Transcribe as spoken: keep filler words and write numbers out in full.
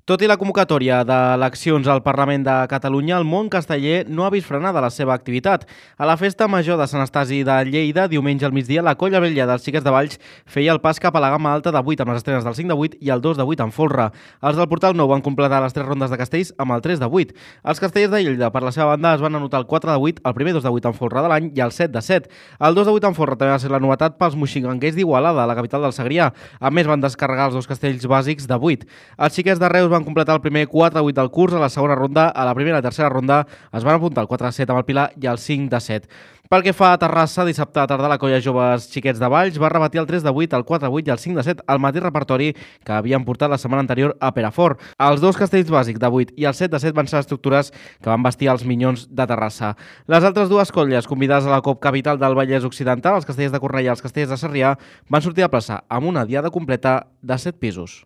Tot i la convocatòria d'eleccions al Parlament de Catalunya, el món casteller no ha vist frenada la seva activitat. A la Festa Major de Sant Estasi de Lleida, diumenge al migdia, la Colla Vella dels Xiquets de Valls feia el pas cap a la gamma alta de vuit amb les estrenes del cinc de vuit i el dos de vuit en folre. Els del Portal Nou van completar les tres rondes de castells amb el tres de vuit. Els castellers de Lleida, per la seva banda, es van anotar el quatre de vuit, el primer dos de vuit en folre de l'any i el set de set. El dos de vuit en folre també va ser la novetat pels moixinganguers d'Igualada, la capital del Segrià. A més, van descarregar els dos castells bàsics de vuit. Els xiquets de Reus van completar el primer quatre de vuit del curs, a la segona ronda, a la primera i tercera ronda es van apuntar el quatre de set amb el Pilar i el cinc de set. Pel que fa a Terrassa, dissabte a tarda la Colla Joves Xiquets de Valls va repetir el tres de vuit, el quatre de vuit i el cinc de set al mateix repertori que havien portat la setmana anterior a Perafort. Els dos castells bàsics de vuit i el set de set van ser estructures que van vestir els Minyons de Terrassa. Les altres dues colles convidades a la Cop Capital del Vallès Occidental, els castellers de Cornellà i els castellers de Sarrià, van sortir a plaça amb una diada completa de set pisos.